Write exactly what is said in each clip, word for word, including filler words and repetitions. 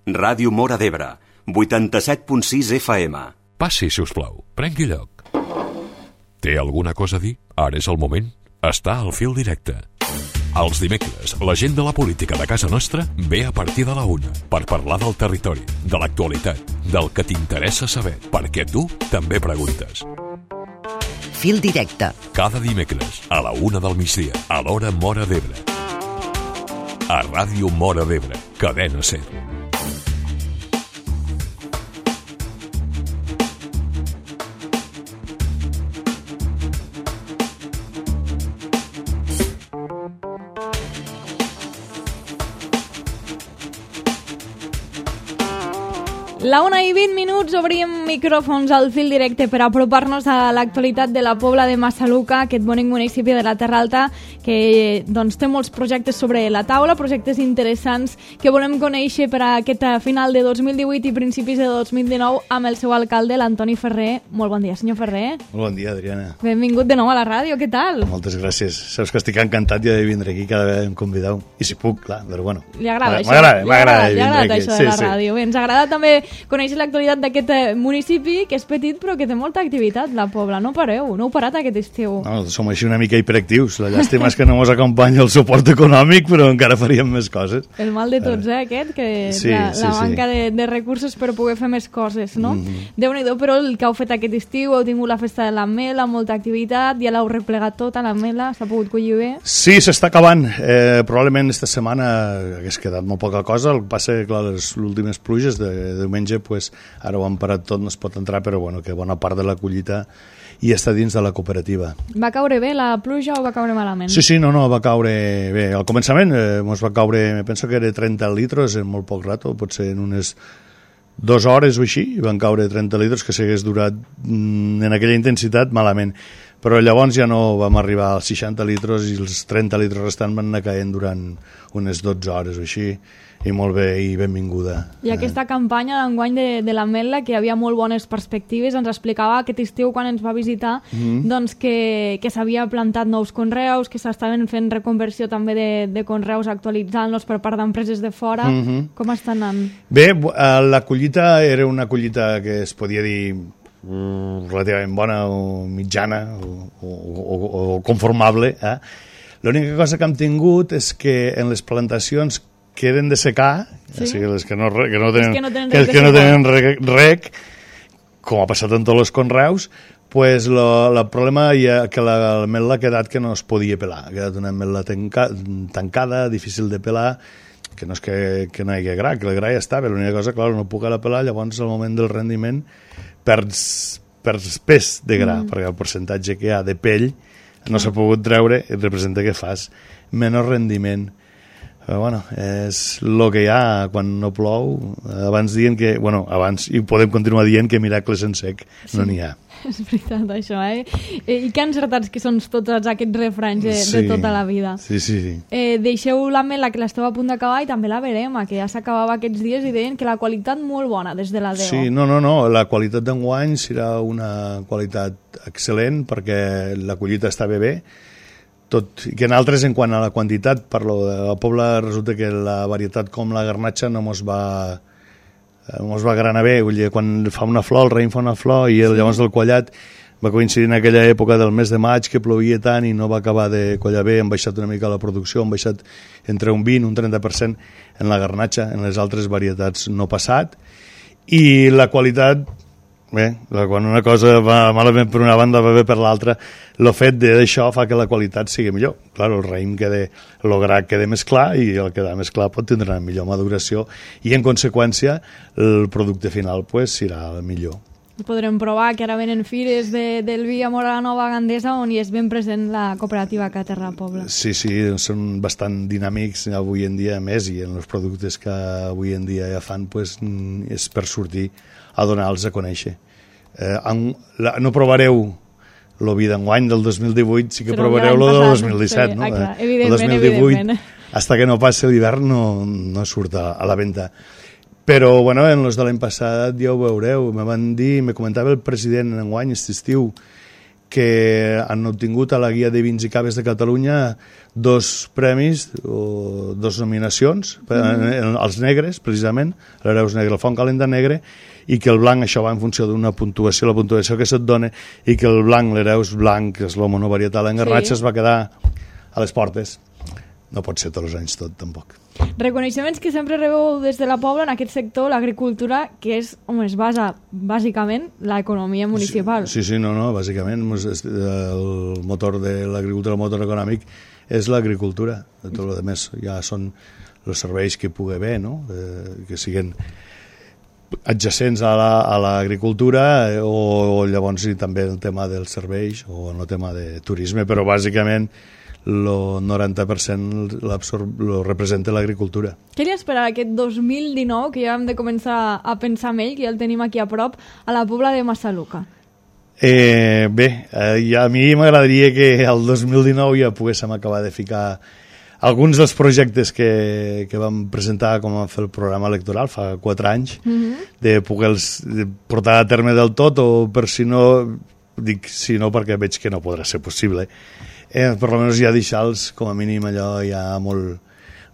Ràdio Móra d'Ebre, vuitanta-set punt sis F M. Passi, si us plau. Prengui lloc. Té alguna cosa a dir? Ara és el moment. Està al fil directe. Els dimecres, la gent de la política de casa nostra ve a partir de la una per parlar del territori, de l'actualitat, del que t'interessa saber, perquè tu també preguntes. Fil directe. Cada dimecres, a la una del migdia, a l'hora Móra d'Ebre. A Ràdio Móra d'Ebre, cadena ser. La una i vint minuts obrim micròfons al fil directe per apropar-nos a l'actualitat de la Pobla de Massaluca, aquest bonic municipi de la Terra Alta que doncs, té molts projectes sobre la taula, projectes interessants que volem conèixer per a aquest final de dos mil divuit i principis de dos mil dinou amb el seu alcalde, l'Antoni Ferrer. Molt bon dia, senyor Ferrer. Molt bon dia, Adriana. Benvingut de nou a la ràdio, què tal? Moltes gràcies. Saps que estic encantat ja de vindre aquí cada vegada em convideu. I si puc, clar, però bueno. Li agrada això? M'agrada, m'agrada Li agrada aquí. això de la ràdio. Sí, sí. Bé, ens agrada també conèixer l'actualitat d'aquest municipi, que és petit però que té molta activitat, la Pobla. No pareu, no heu parat aquest estiu. No, som així una mica hiperactius. La llàstima és que no ens acompanya el suport econòmic, però encara faríem més coses. El mal de tots, eh, aquest, que sí, la, sí, la sí. manca de, de recursos per poder fer més coses, no? Mm-hmm. Déu-n'hi-do, però el que heu fet aquest estiu, heu tingut la festa de l'Ametla, molta activitat, ja l'heu replegat tot a l'Ametla, s'ha pogut collir bé? Sí, s'està acabant. Eh, probablement esta setmana hagués quedat molt poca cosa, el que passa que, clar, les últimes pluges de, de diumenge, pues, ara ho han parat tot, no es pot entrar, però bueno, que bona part de la collita i està dins de la cooperativa. Va caure bé la pluja o va caure malament? Sí, sí, no, no, va caure bé. Al començament eh, ens va caure, penso que era trenta litres en molt poc rato, potser en unes dues hores o així, van caure trenta litres, que s'hagués durat mm, en aquella intensitat malament. Però llavors ja no vam arribar als seixanta litres i els trenta litres restants van anar caient durant unes dotze hores o així, i molt bé i benvinguda. I aquesta eh. campanya d'enguany de, de l'Ametla, que hi havia molt bones perspectives, ens explicava aquest estiu quan ens va visitar mm-hmm. doncs que, que s'havia plantat nous conreus, que s'estaven fent reconversió també de, de conreus, actualitzant-los per part d'empreses de fora. Mm-hmm. Com està anant? Bé, la collita era una collita que es podia dir relativament bona o mitjana o, o, o, o conformable. Eh? L'única cosa que hem tingut és que en les plantacions que eren de secar, sí? O sigui, les que no, que no tenen, que no tenen, que, que no tenen rec, rec, com ha passat en tots els conreus, pues lo, el problema ja que l'ametla ha quedat que no es podia pelar. Ha quedat una ametla tanca, tancada, difícil de pelar, que no és que, que no hi hagi gra, que el gra ja estava. L'única cosa, clar, no puc ara pelar, llavors al moment del rendiment perds, perds pes de gra, mm. perquè el percentatge que hi ha de pell no s'ha pogut treure i representa que fas menys rendiment. Però bueno, és el que hi ha quan no plou. Abans dient que, bueno, abans, i podem continuar dient que miracles en sec sí, no n'hi ha. És veritat això, eh? I que encertats que són tots aquests refranys de, sí, de tota la vida. Sí, sí, sí. Eh, deixeu l'Ametla, que l'esteu a punt d'acabar, i també la Verema, que ja s'acabava aquests dies i deien que la qualitat molt bona des de la D E O. Sí, no, no, no, la qualitat d'enguany serà una qualitat excel·lent perquè la collita està bé bé. Tot, i que en altres, en quant a la quantitat, parlo de la Pobla, resulta que la varietat com la garnatxa no mos va, mos va granar bé. Vull dir, quan fa una flor, el raïm fa una flor, i el, llavors el collat va coincidir en aquella època del mes de maig que plovia tant i no va acabar de collar bé, han baixat una mica la producció, han baixat entre un vint i un trenta per cent en la garnatxa, en les altres varietats no passat, i la qualitat... Bé, quan una cosa va malament per una banda va bé per l'altra, el fet d'això fa que la qualitat sigui millor. Clar, el raïm queda, el gra queda més clar i el que queda més clar pot tindre una millor maduració i en conseqüència el producte final pues, serà el millor. Podrem provar que ara venen fires de, del vi a Móra la Nova Gandesa on hi és ben present la cooperativa Caterra Pobla. Sí, sí, són bastant dinàmics avui en dia més i en els productes que avui en dia ja fan pues, és per sortir a donar-los a conèixer. Eh, en, la, no provareu el vi d'enguany del dos mil divuit, sí que Però provareu el del dos mil disset, sí, no? Ah, clar, el dos mil divuit, hasta que no passi l'hivern no, no surt a, a la venda. Però, bueno, en els de l'any passat ja ho veureu, me van dir, me comentava el president en enguany, aquest estiu, que han obtingut a la Guia de Vins i Caves de Catalunya dos premis o dos nominacions, mm. els negres, precisament, l'Hereus Negre, el Font Calenta Negre, i que el blanc, això va en funció d'una puntuació, la puntuació que se't dona, i que el blanc, l'Hereus blanc, que és l'Homo varietal en Garnatxa, sí. es va quedar a les portes. No pot ser tots els anys tot, tampoc. Reconeixements que sempre rebeu des de la Pobla en aquest sector, l'agricultura, que és on es basa bàsicament l'economia municipal. Sí, sí, no, no, bàsicament el motor de l'agricultura, el motor econòmic és l'agricultura. Tot el més ja són els serveis que pugui haver, no? Eh, que siguin adjacents a l'agricultura la, o, o llavors i també el tema dels serveis o el tema de turisme, però bàsicament el noranta per cent lo representa l'agricultura. Què li espera aquest dos mil dinou, que ja hem de començar a pensar en ell, que ja el tenim aquí a prop, a la Pobla de Massaluca? Eh, bé, eh, a mi m'agradaria que el dos mil dinou ja poguéssim acabar de ficar alguns dels projectes que, que vam presentar com a fer el programa electoral fa quatre anys, mm-hmm. de poder-los portar a terme del tot, o per si no, dic si no perquè veig que no podrà ser possible, eh, per almenys ja deixar-los com a mínim allò ja molt,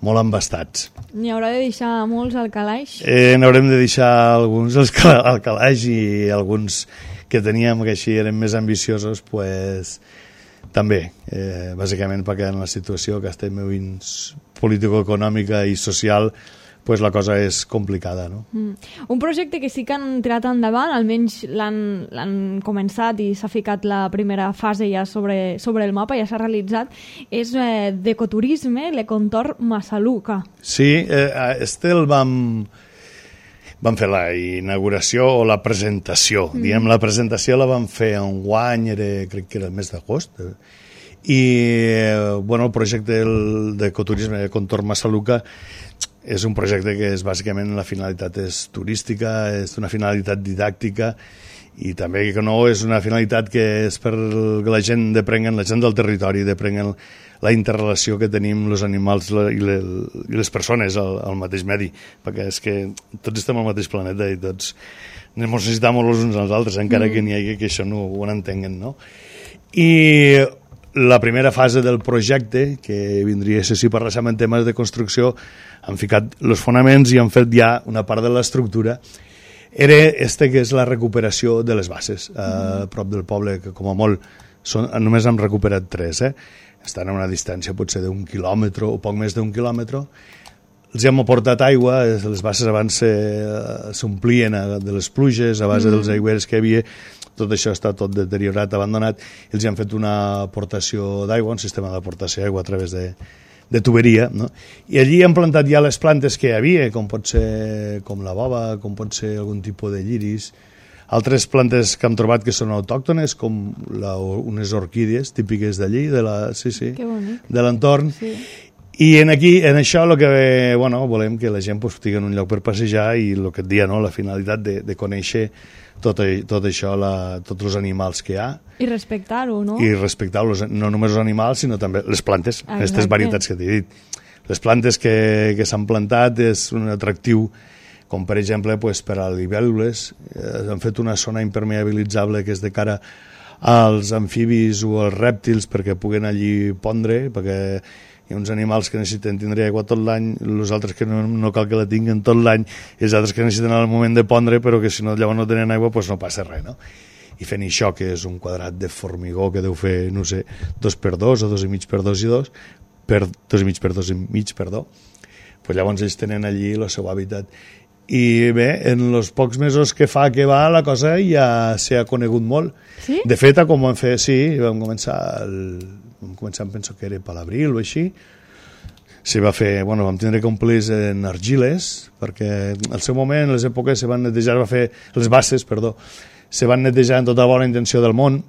molt embastats. N'hi haurà de deixar molts al calaix? Eh, n'haurem de deixar alguns al, cal al calaix, i alguns que teníem que així eren més ambiciosos, pues, també, eh, bàsicament perquè en la situació que estem vivint político-econòmica i social, pues la cosa és complicada, no? Mm. Un projecte que sí que han tirat endavant, almenys l'han començat i s'ha ficat la primera fase ja sobre, sobre el mapa, ja s'ha realitzat, és eh, d'ecoturisme, l'Econtorn Massaluca. Sí, eh, este el vam... Vam fer la inauguració o la presentació. Mm. Diguem, la presentació la vam fer en guany, era, crec que era el mes d'agost. I, bueno, el projecte d'ecoturisme de Contorn Massaluca és un projecte que és bàsicament la finalitat és turística, és una finalitat didàctica, i també que no és una finalitat que és per que la gent deprenguen, la gent del territori deprenguen la interrelació que tenim els animals i les persones al, al mateix medi, perquè és que tots estem al mateix planeta i tots ens necessitem els uns als altres, encara mm. que n'hi hagi que això no ho entenguen, no? I la primera fase del projecte, que vindria a ser si parléssim en temes de construcció, han ficat els fonaments i han fet ja una part de l'estructura, era este que és la recuperació de les bases a mm. prop del poble, que com a molt són, només hem recuperat tres, eh? Estan a una distància potser d'un quilòmetre o poc més d'un quilòmetre. Els hem aportat aigua, les bases abans s'omplien de les pluges a base mm. dels aigüeres que hi havia, tot això està tot deteriorat, abandonat, i els hem fet una aportació d'aigua, un sistema d'aportació d'aigua a través de, de tuberia, no? I allí hem plantat ja les plantes que hi havia, com pot ser com la bova, com pot ser algun tipus de lliris, altres plantes que hem trobat que són autòctones, com la, unes orquídees típiques d'allí, de la, sí, sí, de l'entorn. Sí. I en, aquí, en això el que bueno, volem que la gent pues, tingui un lloc per passejar, i el que et dia, no? La finalitat de, de conèixer tot, tot això, la, tots els animals que hi ha. I respectar-ho, no? I respectar-los, no només els animals, sinó també les plantes, Exacte. Aquestes varietats que t'he dit. Les plantes que, que s'han plantat és un atractiu, com per exemple pues, per a libèl·lules, eh, han fet una zona impermeabilitzable que és de cara als amfibis o als rèptils perquè puguen allí pondre, perquè hi ha uns animals que necessiten tindre aigua tot l'any, els altres que no, no cal que la tinguin tot l'any, i els altres que necessiten al moment de pondre, però que si no llavors no tenen aigua pues no passa res, no? I fent això, que és un quadrat de formigó que deu fer, no sé, dos per dos o dos i mig per dos i dos, per dos i mig per dos i mig, perdó, pues llavors ells tenen allí el seu hàbitat. I bé, en els pocs mesos que fa que va, la cosa ja s'ha conegut molt. Sí? De fet, com vam fer, sí, vam començar, el, vam començar, penso que era per l'abril o així, se va fer, bueno, vam tindre que omplir en argiles, perquè al seu moment, en les èpoques, se van netejar, va fer, les bases, perdó, se van netejar en tota bona intenció del món,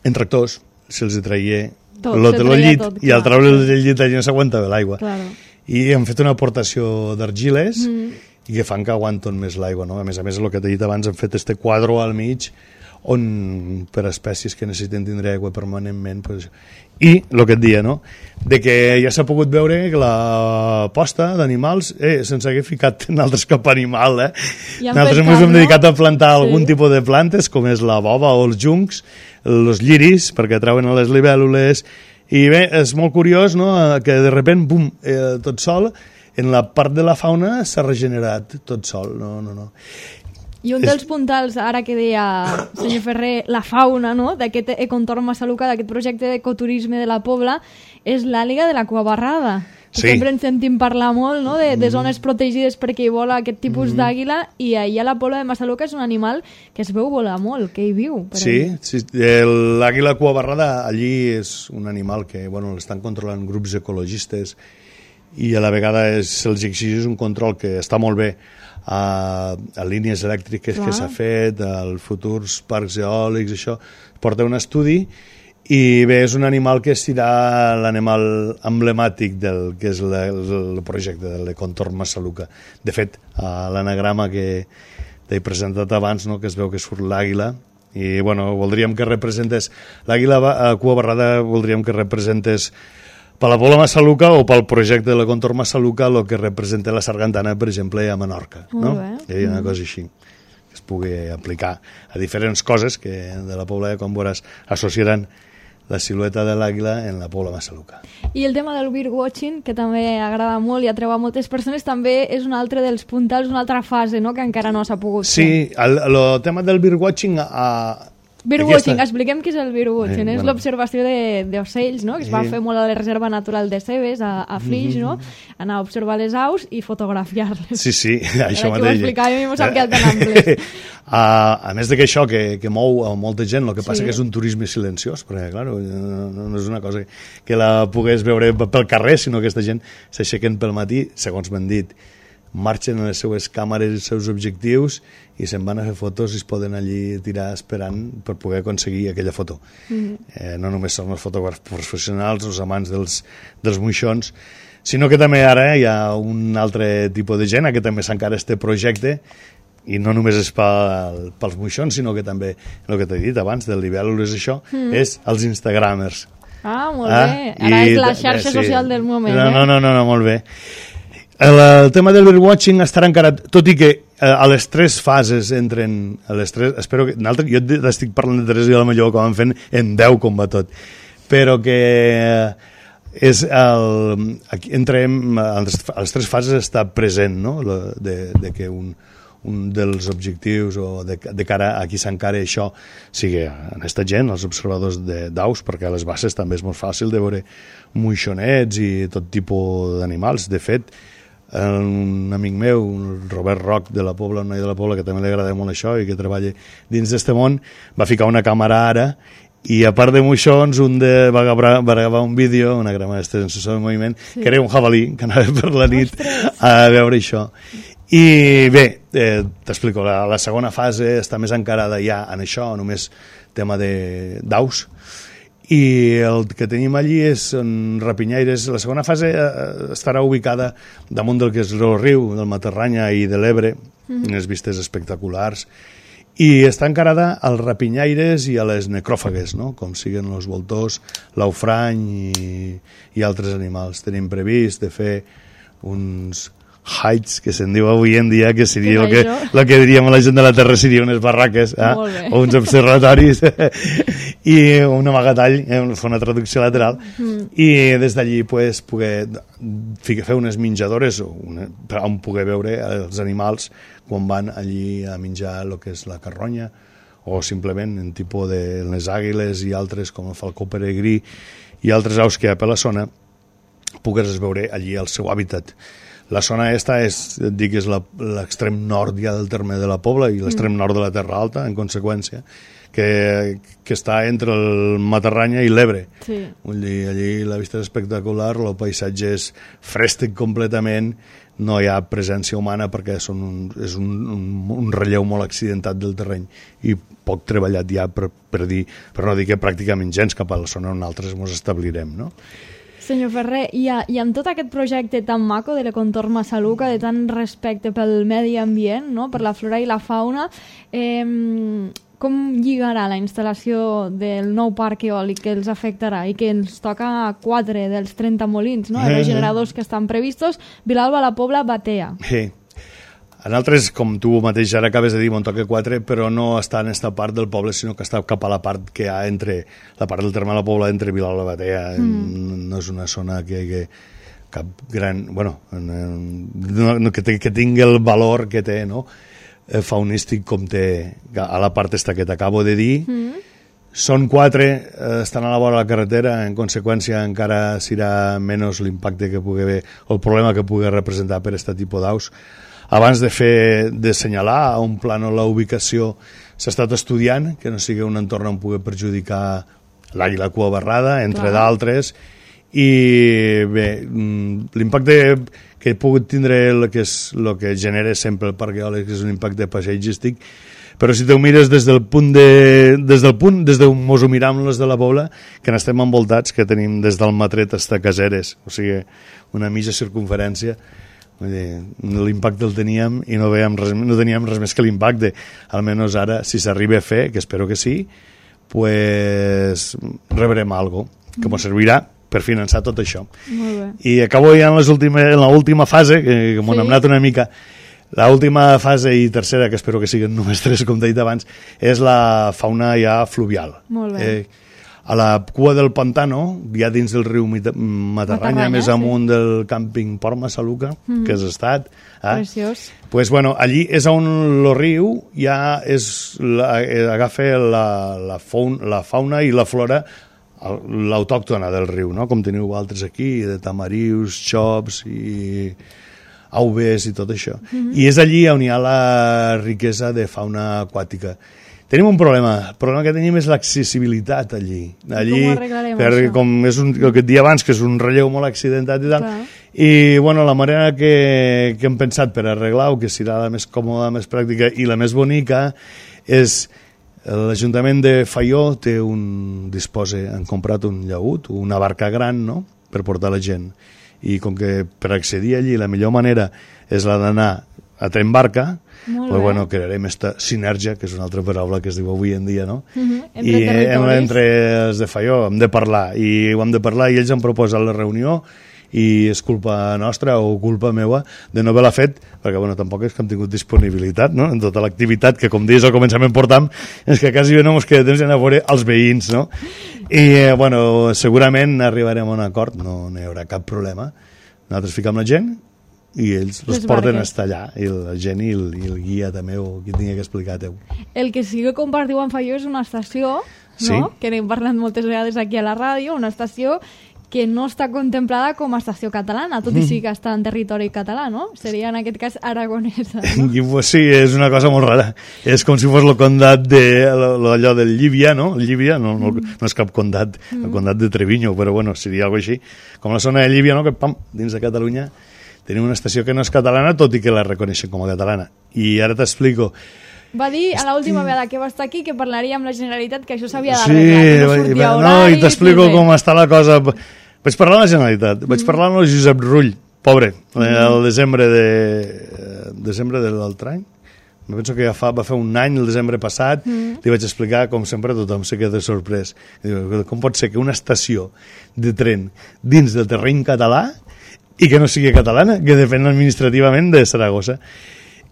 en tractors, se'ls traia tot, se traia llit, tot, i al treure el llit allà no s'aguantava l'aigua. Claro. I hem fet una aportació d'argiles, mm. i que fan que aguanten més l'aigua, no? A més a més, el que t'he dit abans, hem fet este quadre al mig on per espècies que necessiten tindre aigua permanentment, pues, i el que et dia, no? De que ja s'ha pogut veure que la posta d'animals, eh, sense haver ficat en altres cap animal, eh? Ja nosaltres ens hem dedicat a plantar sí. algun tipus de plantes, com és la bova o els juncs, els lliris, perquè trauen les libèl·lules, i bé, és molt curiós, no?, que de repent, bum, eh, tot sol, en la part de la fauna s'ha regenerat tot sol, no, no, no. I un dels puntals, ara que deia senyor Ferrer, la fauna, no?, d'aquest econtorn Massaluca, d'aquest projecte d'ecoturisme de la Pobla, és l'àliga de la cua barrada. Sí. Sempre ens sentim parlar molt, no?, de, de zones protegides perquè hi vola aquest tipus mm. d'àguila, i allà a la Pobla de Massaluca és un animal que es veu volar molt, que hi viu. Per sí, sí, l'àguila cua barrada allí és un animal que, bueno, l'estan controlant grups ecologistes i a la vegada se'ls exigeix un control que està molt bé a, a línies elèctriques Clar. que s'ha fet, als futurs parcs eòlics, això, porta un estudi i bé, és un animal que serà l'animal emblemàtic del que és la, el projecte de l'Econtorn Massaluca. De fet, a l'anagrama que t'he presentat abans, no?, que es veu que surt l'àguila, i bueno, voldríem que representés l'àguila a cua barrada, voldríem que representés per la Pobla Massaluca o pel projecte de l'Econtorn Massaluca el que representa la sargantana, per exemple, a Menorca. No? Hi ha una cosa així que es pugui aplicar a diferents coses que de la Pobla, com veuràs, associaran la silueta de l'àguila en la Pobla Massaluca. I el tema del birdwatching, que també agrada molt i atreu a moltes persones, també és un altre dels puntals, una altra fase, no?, que encara no s'ha pogut fer. Sí, el, el tema del birdwatching a... Birdwatching, Aquesta... expliquem què és el birdwatching. Eh, és bueno. l'observació d'ocells, no?, que es va sí. fer molt a la Reserva Natural de Cebes, a, a Flix, mm -hmm. no?, anar a observar les aus i fotografiar-les. Sí, sí, això mateix. Ho explicava, a mi m'ho sap que el tan ample. a, a més de que això, que, que mou a molta gent, el que passa sí. que és un turisme silenciós, perquè, clar, no, no és una cosa que la pogués veure pel carrer, sinó que aquesta gent s'aixequen pel matí, segons m'han dit, marxen a les seues càmeres i els seus objectius i se'n van a fer fotos i es poden allí tirar esperant per poder aconseguir aquella foto. Mm-hmm. eh, no només són els fotògrafs professionals, els amants dels, dels moixons, sinó que també ara hi ha un altre tipus de gent que també s'encara este projecte, i no només és pel, pels moixons, sinó que també, el que t'he dit abans, del libèl·lules, això, mm. és els instagramers. Ah, molt ah? bé. Ara I, és la xarxa sí. social del moment. No, eh? no, no, no, no molt bé. El, el tema del birdwatching estarà encara, tot i que eh, a les tres fases entren, a les tres, espero que, jo estic parlant de tres i a la millor que van fent en deu com va tot, però que és el, aquí entrem, a les, a les tres fases està present, no?, de, de que un, un dels objectius o de, de cara a qui s'encara això sigui en aquesta gent, els observadors d'aus, perquè a les basses també és molt fàcil de veure moixonets i tot tipus d'animals. De fet, un amic meu, el Robert Roc de la Pobla, un noi de la Pobla que també li agrada molt això i que treballa dins d'este món, va ficar una càmera ara i a part de moixons un de, va, gravar, va gravar un vídeo, una gramada sensor de moviment, sí. que era un jabalí que anava per la nit Ostres. a veure això. I bé, eh, t'explico, la, la segona fase està més encarada ja en això, només tema d'aus, i el que tenim allí és en rapinyaires. La segona fase eh, estarà ubicada damunt del que és el riu del Matarranya i de l'Ebre, mm-hmm. unes vistes espectaculars, i està encarada als rapinyaires i a les necròfagues, no?, com siguen els voltors, l'aufrany i, i altres animals. Tenim previst de fer uns heights, que se'n diu avui en dia, que seria el que, el que diríem a la gent de la Terra, seria unes barraques, eh? o uns observatoris, i un amagatall, eh? fer una traducció lateral, mm. i des d'allí pues, poder fer unes menjadores una, on poder veure els animals quan van allí a menjar el que és la carronya, o simplement en tipus de les àguiles i altres, com el falcó peregrí i altres aus que hi ha per la zona, pogués veure allí el seu hàbitat. La zona esta és, dic, és l'extrem nord ja del terme de la Pobla i l'extrem nord de la Terra Alta, en conseqüència, que, que està entre el Matarranya i l'Ebre. Sí. Allí, allí la vista és espectacular, el paisatge és frèstec completament, no hi ha presència humana perquè són un, és un, un, un relleu molt accidentat del terreny i poc treballat ja per, per dir, per no dir que pràcticament gens cap a la zona on altres ens establirem, no? Senyor Ferrer, i, a, i amb tot aquest projecte tan maco de l'Econtorn Massaluca, de tant respecte pel medi ambient, no?, per la flora i la fauna, eh, com lligarà la instal·lació del nou parc eòlic que els afectarà i que ens toca quatre dels trenta molins, no? Els generadors que estan previstos, Vilalba, la Pobla, Batea. Sí. En altres, com tu mateix ara acabes de dir, me'n toca quatre, però no està en aquesta part del poble, sinó que està cap a la part que hi ha entre la part del terme de la Pobla, entre Vilalba i Batea. Mm. No és una zona que, que cap gran... Bueno, no, que, que tingui el valor que té, no?, faunístic com té a la part esta que t'acabo de dir. Mm. Són quatre, estan a la vora de la carretera, en conseqüència encara serà menys l'impacte que pugui haver o el problema que pugui representar per aquest tipus d'aus. Abans de fer de senyalar a un plànol la ubicació s'ha estat estudiant que no sigui un entorn on pugui perjudicar l'àguila cua barrada, entre d'altres, i bé, l'impacte que pugui tindre el que, és, el que genera sempre el parc eòlic és un impacte paisatgístic, però si te ho mires des del punt de, des del punt, des d'on mos ho miram les de la Pobla, que n'estem envoltats, que tenim des del Matret fins a Caseres, o sigui, una mitja circunferència, l'impacte el teníem i no, res, no teníem res més que l'impacte. Almenys ara, si s'arriba a fer, que espero que sí, pues rebrem algo que ens servirà per finançar tot això. Molt bé. I acabo ja en, les últimes, en l'última fase, que, que m'ho sí. hem anat una mica. L'última fase i tercera, que espero que siguin només tres, com t'he dit abans, és la fauna ja fluvial. Molt bé. Eh, a la cua del Pantano, ja dins del riu Matarranya, Matarranya més amunt sí. del càmping Port Massaluca, mm. que has estat. Eh? Preciós. Pues, bueno, allí és on el riu ja és la, agafa la, la, fauna, la fauna i la flora l'autòctona del riu, no? Com teniu altres aquí, de tamarius, xops i aubes i tot això. Mm-hmm. I és allí on hi ha la riquesa de fauna aquàtica. Tenim un problema. El problema que tenim és l'accessibilitat allí. allí com ho arreglarem, per, això? Com és un, el que et dia abans, que és un relleu molt accidentat i tal. Clar. I, bueno, la manera que, que hem pensat per arreglar-ho, que serà la més còmoda, la més pràctica i la més bonica, és l'Ajuntament de Faió té un, disposa, han comprat un llaüt, una barca gran, no?, per portar la gent. I com que per accedir allí la millor manera és la d'anar a tren barca, pues, bueno, crearem aquesta sinergia, que és una altra paraula que es diu avui en dia, no? Uh-huh. Entre I territoris. Entre els de Faió hem de parlar, i ho hem de parlar, i ells han proposat la reunió, i és culpa nostra o culpa meua de no haver-la fet, perquè bueno, tampoc és que hem tingut disponibilitat, no?, en tota l'activitat que, com dius, al començament portam, és que quasi no ens queda temps d'anar a veure els veïns, no? I, eh, bueno, segurament arribarem a un acord, no hi haurà cap problema. Nosaltres ficam la gent i ells els porten a estar allà, i la gent i el, i el guia també, o qui tingui que explicar-te-ho. El que sí que compartiu amb Faió és una estació, no?, sí. que n'hem parlat moltes vegades aquí a la ràdio, una estació que no està contemplada com a estació catalana, tot i sí que està en territori català, no? Seria, en aquest cas, aragonesa, no? I, pues, sí, és una cosa molt rara. És com si fos el condat de allò del Llívia, no? Llívia no, no, no és cap condat, el condat de Treviño, però bueno, seria alguna cosa així. Com la zona de Llívia, no?, que pam, dins de Catalunya tenim una estació que no és catalana, tot i que la reconeixen com a catalana. I ara t'explico. Va dir a l'última vegada que va estar aquí que parlaria amb la Generalitat, que això s'havia d'arreglar, sí, que no sortia horari... No, i t'explico com està la cosa. Vaig parlar amb la Generalitat, vaig parlar amb el Josep Rull, pobre, el desembre de desembre de l'altre any. Me penso que ja fa, va fer un any, el desembre passat, mm. li vaig explicar, com sempre, tothom se queda sorprès. Diu, com pot ser que una estació de tren dins del terreny català i que no sigui catalana, que depèn administrativament de Saragossa?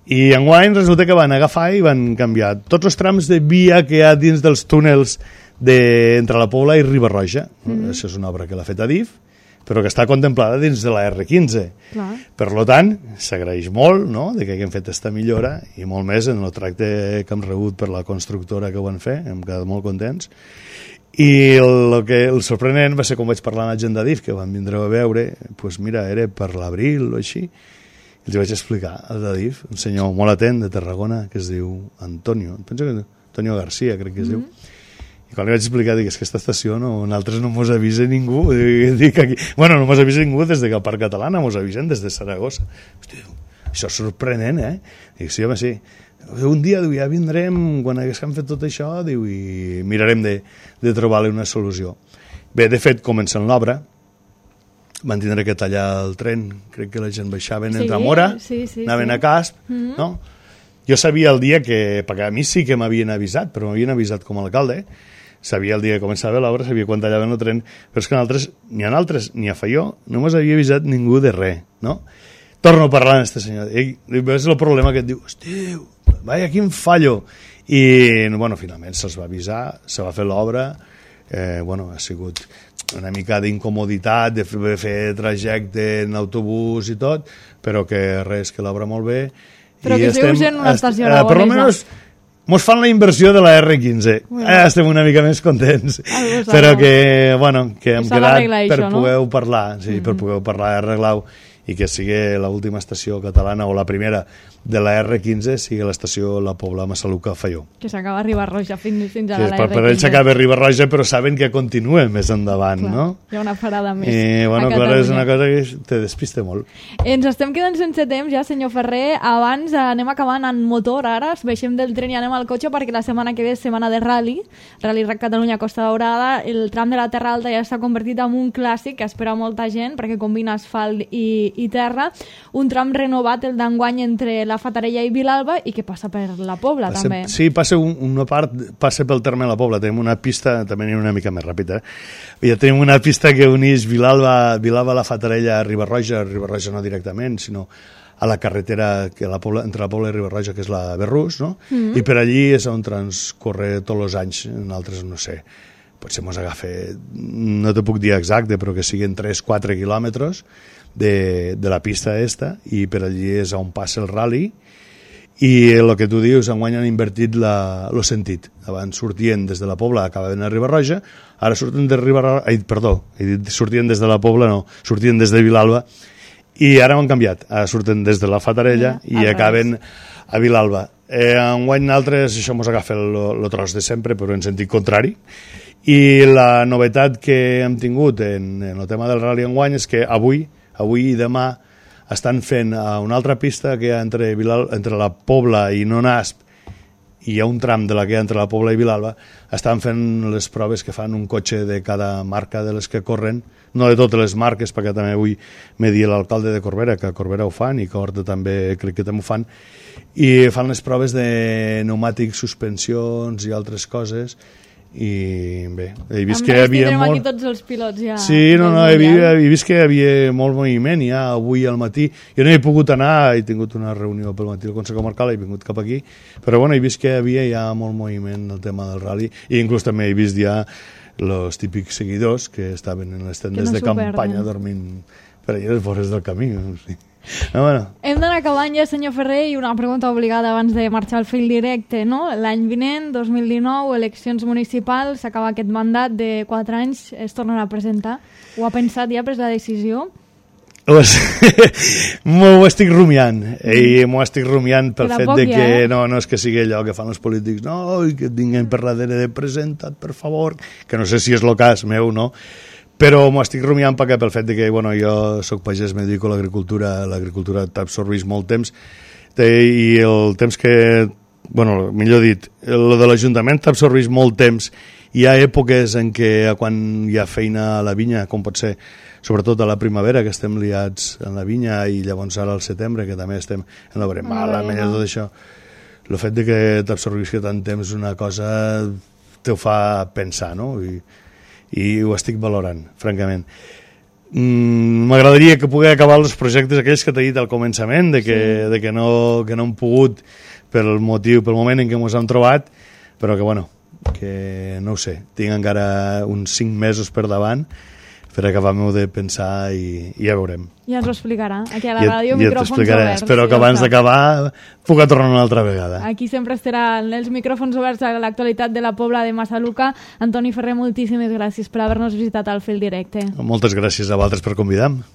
I enguany resulta que van agafar i van canviar tots els trams de via que hi ha dins dels túnels de, entre la Pobla i Riba-roja. Mm. Això és una obra que l'ha fet Adif, però que està contemplada dins de la erre quinze. Clar. Per tant, s'agraeix molt, no?, de que haguem fet aquesta millora, i molt més en el tracte que hem rebut per la constructora que ho van fer, hem quedat molt contents. I el, el, que, el sorprenent va ser com vaig parlar amb la gent d'Adif, que van vindre a veure, doncs mira, era per l'abril o així, i els vaig explicar al d'Adif, un senyor molt atent de Tarragona, que es diu Antonio, penso que Antonio García, crec que es mm-hmm. diu. I quan li vaig explicar, dic, és que aquesta estació no, nosaltres no mos avisa ningú. Dic, aquí, bueno, no mos avisa ningú des de que el Parc Catalana, mos avisen des de Saragossa. Hosti, això és sorprenent, eh? Dic, sí, home, sí. Un dia, diu, ja vindrem, quan haguéssim fet tot això, diu, i mirarem de, de trobar-li una solució. Bé, de fet, comencen l'obra, van tindre que tallar el tren, crec que la gent baixaven sí, entre Mora, sí, sí, anaven sí. a Casp, mm-hmm. no? jo sabia el dia que, perquè a mi sí que m'havien avisat, però m'havien avisat com a alcalde, sabia el dia que començava l'obra, sabia quan tallaven el tren, però és que en altres, ni en altres, ni a Faió, no mos havia avisat ningú de res, no? Torno a parlar amb aquest senyor, i és el problema que et diu, hòstia, vaja, quin fallo, i, bueno, finalment se'ls va avisar, se va fer l'obra, eh, bueno, ha sigut una mica d'incomoditat de fer, fer trajecte en autobús i tot, però que res, que l'obra molt bé. Però i que estem, esteu sent una estació est, eh, per almenys mos fan la inversió de la erre quinze. Bueno. Eh, estem una mica més contents. Però que, bueno, que hem quedat per això, no? poder parlar, sí, mm -hmm. per poder parlar arreglar i que sigui l'última estació catalana o la primera de la erre quinze sigui l'estació La Pobla Massaluca Faió. Que s'acaba a Riba-roja fins, fins a sí, la erre quinze. Per ells s'acaba a Riba-roja, però saben que continua més endavant, clar, no? Hi ha una parada més I, bueno, a clar, Catalunya. és una cosa que te despiste molt. Ens estem quedant sense temps ja, senyor Ferrer. Abans anem acabant en motor, ara baixem del tren i anem al cotxe perquè la setmana que ve és setmana de rally, Rally Rac Catalunya Costa Daurada. El tram de la Terra Alta ja s'ha convertit en un clàssic que espera molta gent perquè combina asfalt i, i terra. Un tram renovat, el d'enguany, entre la Fatarella i Vilalba, i que passa per la Pobla, passa, també. Sí, passa un, una part, passa pel terme de la Pobla. Tenim una pista, també anem una mica més ràpida, eh? Ja tenim una pista que unís Vilalba, Vilalba la Fatarella a Riba-roja, Riba-roja no directament, sinó a la carretera que la Pobla, entre la Pobla i Riba-roja, que és la Berrús, no? Mm-hmm. I per allí és on transcorre tots els anys, en altres no sé, potser mos agafa, no te puc dir exacte, però que siguin tres quatre quilòmetres de, de la pista esta, i per allí és on passa el rally, i el que tu dius, enguany han invertit la, el sentit. Abans sortien des de la Pobla, acabaven a Riba-roja, ara surten de Riba-roja, ai, perdó, he dit sortien des de la Pobla, no, sortien des de Vilalba, i ara ho han canviat, ara surten des de la Fatarella yeah, i acaben a Vilalba. Eh, enguany altres, això mos agafa el, el tros de sempre, però en sentit contrari, i la novetat que hem tingut en, en el tema del rally enguany és que avui, avui i demà estan fent a una altra pista que hi ha entre, Vilal, entre la Pobla i Nonasp, i hi ha un tram de la que hi ha entre la Pobla i Vilalba, estan fent les proves que fan un cotxe de cada marca de les que corren, no de totes les marques, perquè també avui m'he dit l'alcalde de Corbera, que a Corbera ho fan i que a Horta també crec que també ho fan, i fan les proves de pneumàtics, suspensions i altres coses, i bé, he vist amb que hi havia molt... aquí tots els pilots ja. Sí, no, no, he, vist, he vist que hi havia molt moviment ja avui al matí. Jo no he pogut anar, he tingut una reunió pel matí al Consell Comarcal, he vingut cap aquí, però bueno, he vist que hi havia ja molt moviment el tema del rally, i inclús també he vist ja els típics seguidors que estaven en les tendes no de campanya dormint per allà a les vores del camí. Sí. No, bueno. Hem d'anar acabant ja, senyor Ferrer, i una pregunta obligada abans de marxar al fil directe, no? L'any vinent, dos mil dinou, eleccions municipals, s'acaba aquest mandat de quatre anys, es tornarà a presentar. Ho ha pensat ja, ha pres la decisió? M'ho estic rumiant, i m'ho estic rumiant pel fet poc, de que ja, eh? no, no és que sigui allò que fan els polítics, no, i que tinguin per darrere de presentat, per favor, que no sé si és el cas meu, no? Però m'ho estic rumiant perquè pel fet de que, bueno, jo soc pagès, me dedico a l'agricultura, l'agricultura t'absorbeix molt temps, i el temps que, bueno, millor dit, el de l'Ajuntament t'absorbeix molt temps. Hi ha èpoques en què quan hi ha feina a la vinya, com pot ser, sobretot a la primavera, que estem liats en la vinya, i llavors ara al setembre, que també estem en la veremala, en tot això, el fet de que t'absorbeix tant temps una cosa te ho fa pensar, no? I, i ho estic valorant, francament. Mm, m'agradaria que pugui acabar els projectes aquells que t'he dit al començament, de que, sí. de que, no, que no hem pogut pel motiu, pel moment en què ens hem trobat, però que, bueno, que no ho sé, tinc encara uns cinc mesos per davant per acabar-m'ho de pensar i, i ja veurem. Ja ens ho explicarà. Aquí a la ja, ràdio, ja micròfons oberts. Espero sí, que abans d'acabar puc tornar una altra vegada. Aquí sempre estaran els micròfons oberts a l'actualitat de la Pobla de Massaluca. Antoni Ferrer, moltíssimes gràcies per haver-nos visitat al fil directe. Moltes gràcies a vosaltres per convidar-me.